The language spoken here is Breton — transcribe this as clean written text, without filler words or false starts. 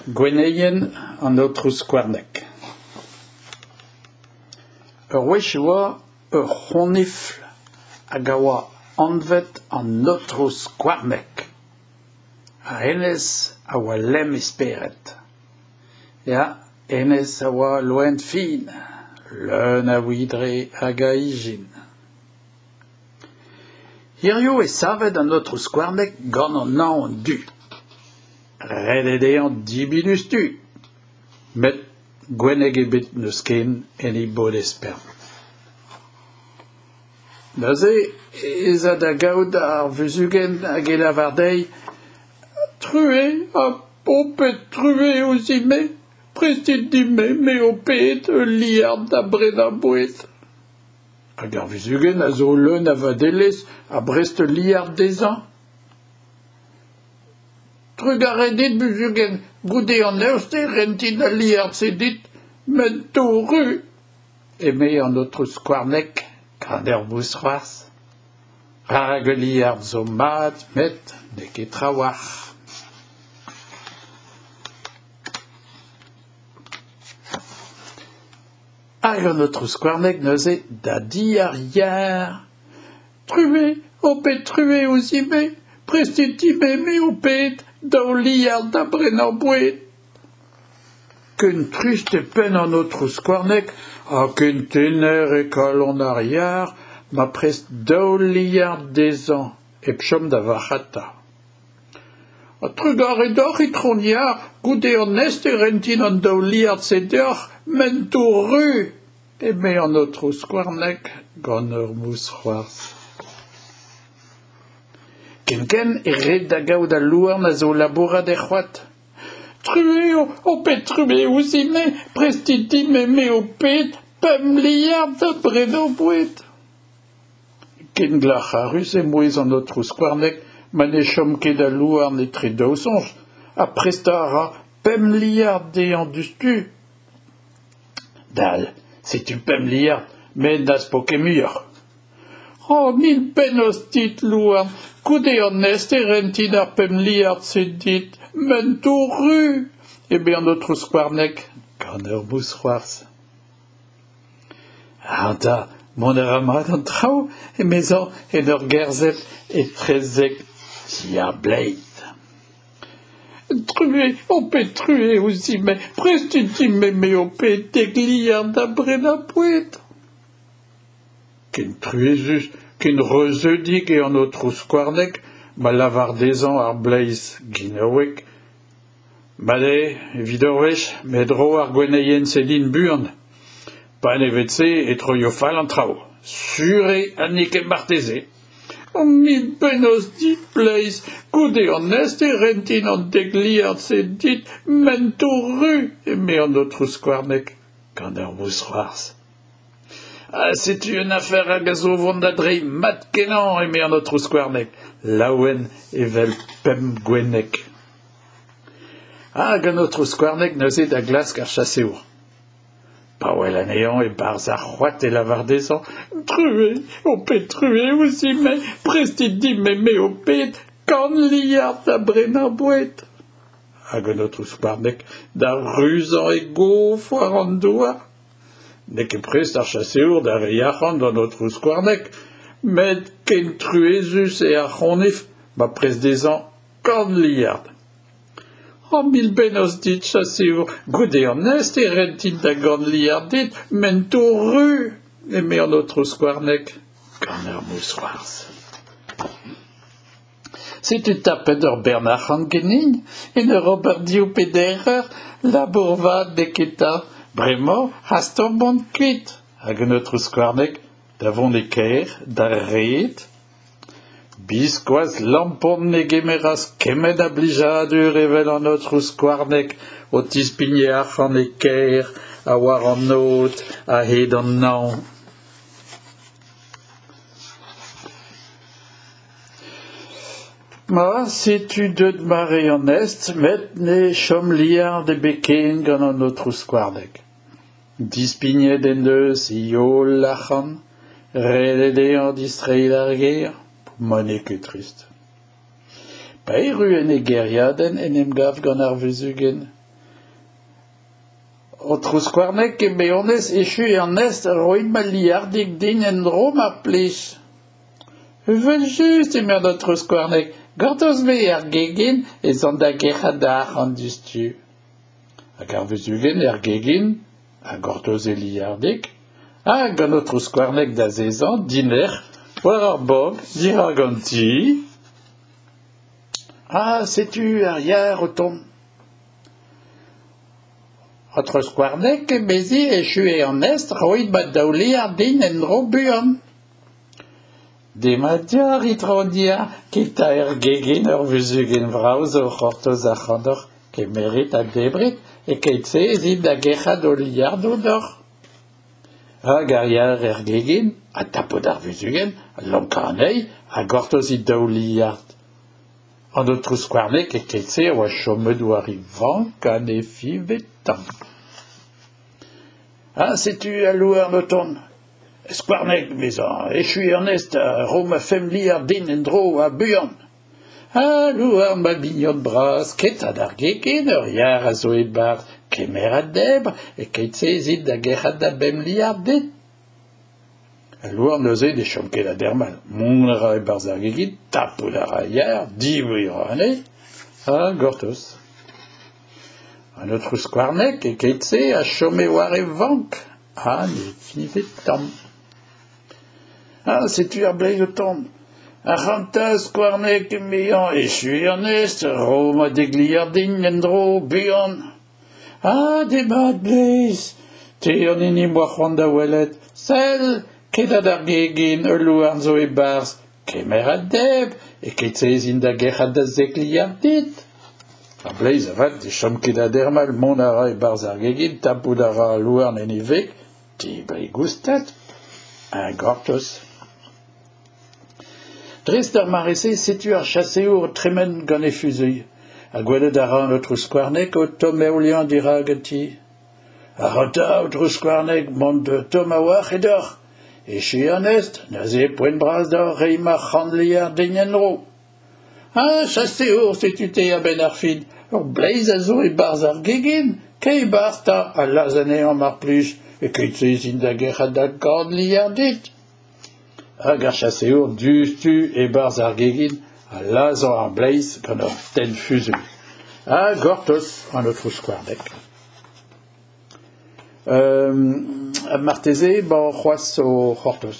Gwenneien an Aotrou Skouarneg. Ur wech e oa ur c'honifl hag a oa anvet an Aotrou Skouarneg. Ha hennezh a oa lemm e spered. Ya, hennezh a oa loen fin, leun a widre hag a ijin. Hiziv eo savet an Aotrou Skouarneg gant an aon du. Ret eo dezhañ debriñ diouzhtu. Met gwenneg ebet n'eus ken en e bod-espern. Neuze ez a da gaout ar vuzhugenn hag e lavar dezhi Truez, ha ho pet truez ouzhin-me, prestit din-me, me ho ped, ul liard da brenañ boued. Hag ar vuzhugenn a zo leun a vadelezh a brest ul liard dezhañ. Trugarez dit, buzhugenn, goude an eost e rentin al liard-se dit, m'en tou ru, eme an aotrou Skouarneg gant ur mousc'hoarzh. Rak ul liard zo mat met n'eo ket trawalc'h. Hag an aotrou Skouarneg neuze da di ar yar. Truez, ho pet truez ouzhin-me, prestit din-me, me ho ped, daou liard da brenañ boued. Ken trist eo penn an aotrou Skouarneg ha ken tener eo kalon ar yar ma prest daou liard dezhañ hep chom da varc'hata. Ha trugarez deoc'h, itron yar, goude an est e rentin an daou liard-se deoc'h, m'en tou ru, eme an aotrou Skouarneg gant ur mousc'hoarzh. Kenkent e red da gaout al louarn a zo o labourat er c'hoad. Truez, ho pet truez ouzhin-me, prestit din-me, me ho ped, pemp liard da brenañ boued. Ken glac'harus eo mouezh an aotrou Skouarneg ma ne chom ket al louarn etre daou soñj ha prestañ a ra pemp liard dezhañ diouzhtu. Dal, setu pemp liard, met n'az po ket muioc'h. Oh, mil bennozh dit, louarn, goude an est e rentin ar pemp liard-se dit, m'en tou ru, eme an aotrou Skouarneg gant ur mousc'hoarzh. Ac'hanta, mont a ra mat an traoù, emezañ en ur gerzhet etrezek ti ar bleiz. Truez, ho pet truez ouzhin-me, prestit din-me, me ho ped, dek liard da brenañ boued. Ken truezus, ken reuzeudik eo an aotrou Skouarneg ma lavar dezhañ ar bleiz ginaouek Mat eo evit ur wech, met ro ar gwenneien-se din buan. Panevet-se e troio fall an traoù. Sur eo ha n'eo ket marteze. O mil bennozh dit, bleiz, goude an est e rentin an dek liard-se dit, m'en tou ru, eme an aotrou Skouarneg, gant ur mousc'hoarzh. Ha setu un afer hag a zo o vont da dreiñ mat-kenañ, eme an aotrou Skouarneg, laouen evel pemp gwenneg. Hag an aotrou Skouarneg neuze da glask ar chaseour. Pa wel anezhañ e-barzh ar c'hoad e lavar dezhañ Truez, ho pet truez ouzhin-me, prestit din-me, me ho ped, kant liard da brenañ boued. Hag an aotrou Skouarneg da ruzañ e gof war an douar. N'eo ket prest ar chaseour da reiñ arc'hant d'an aotrou Skouarneg, met ken truezus eo ar c'honifl ma prest dezhañ kant liard. Oh, mil bennozh dit, chaseour, goude an est e rentin da gant liard dit, m'en tou ru, eme an aotrou Skouarneg, gant ur mousc'hoarzh. Setu tapet ur bern arc'hant ganin en ur ober div pe deir eur, labour vat n'eo ket 'ta, bremañ hastomp mont kuit. Hag an aotrou Skouarneg da vont e kêr d'ar red. Biskoazh lampon ne gemeras kement a blijadur evel an aotrou Skouarneg o tispign e arc'hant e kêr ha war an aod a-hed an hañv. Ma, setu deuet mare an est met ne chom liard ebet ken gant an aotrou Skouarneg. Dispignet en deus e holl arc'hant, ret eo dezhañ distreiñ d'ar gêr, ma n'eo ket trist. Pa erru en e gêriadenn en em gav gant ar vuzhugenn. Aotrou Skouarneg, eme honnezh, echu eo an hest, roit ma liardig din en-dro mar plij. Evel-just, eme an aotrou Skouarneg, gortoz-me er gegin ez an da gerc'hat da arc'hant diouzhtu. Hag ar vuzhugenn er gegin a gortoz e liardig, hag an aotrou Skouarneg d'azezañ dinec'h war ar bank dirak an ti. Ha setu ar yar o tont. Aotrou Skouarneg, emezi, echu eo an hest, roit ma daou liard din en-dro buan. Demat deoc'h, itron Yar, ket 'ta er gegin ur vuzhugenn vrav zo o c'hortoz ac'hanoc'h. Kemerit ha debrit, e-keit-se ez it da gerc'hat ho liardoù deoc'h. Hag ar yar er gegin, ha tapout ar vuzhugenn, lonkañ anezhi ha gortoz he daou liard. An aotrou Skouarneg e-keit-se a oa chomet war e vank ha ne fiñve tamm. Ha setu al louarn o tont. Skouarneg, emezañ, echu eo an hest, ro ma femp liard din en-dro ha buan. Ha louarn, ma mignon bras, ket 'ta d'ar gegin, ur yar a zo e-barzh, kemer ha debr, e-keit-se ez it da gerc'hat da bemp liard dit. Al louarn neuze ne chom ket da dermal. Mont a ra e-barzh ar gegin, tapout a ra yar, debriñ a ra anezhi, ha gortoz. An aotrou Skouarneg e-keit-se a chome war e vank ha ne fiñve tamm. Ha setu ar bleiz o tont. Ac'hanta, Skouarneg, emezañ, echu eo an hest, ro ma dek liard din en-dro, buan. Ha demat, bleiz, te an hini 'm boa c'hoant da welet. Sell, ket d'ar gegin, ul louarn zo e-barzh. Kemer ha debr, e-keit-se ez in da gerc'hat da zek liard dit. Ar bleiz avat ne chom ket da dermal, mont a ra e-barzh ar gegin, tapout a ra al louarn en e veg, debriñ goustad, ha gortoz. Dres d'ar mare-se setu ar chaseour o tremen gant e fuzuilh, ha gwelet a ra an aotrou Skouarneg o tommheoliañ dirak an ti. Ac'hanta, aotrou Skouarneg, mont tomm a-walc'h eo deoc'h. Echu eo an hest, neuze eo poent bras deoc'h reiñ ma c'hant liard din en-dro. Ha chaseour, setu te a-benn ar fin. Ur bleiz a zo e-barzh ar gegin, kae e-barzh 'ta ha lazh anezhañ mar plij, e-keit-se ez in da gerc'hat da gant liard dit. Hag ar chaseour diouzhtu e-barzh ar gegin ha lazhañ ar bleiz gant ur tenn fuzuilh. Ha gortoz an aotrou Skouarneg. Marteze emañ c'hoazh o c'hortoz.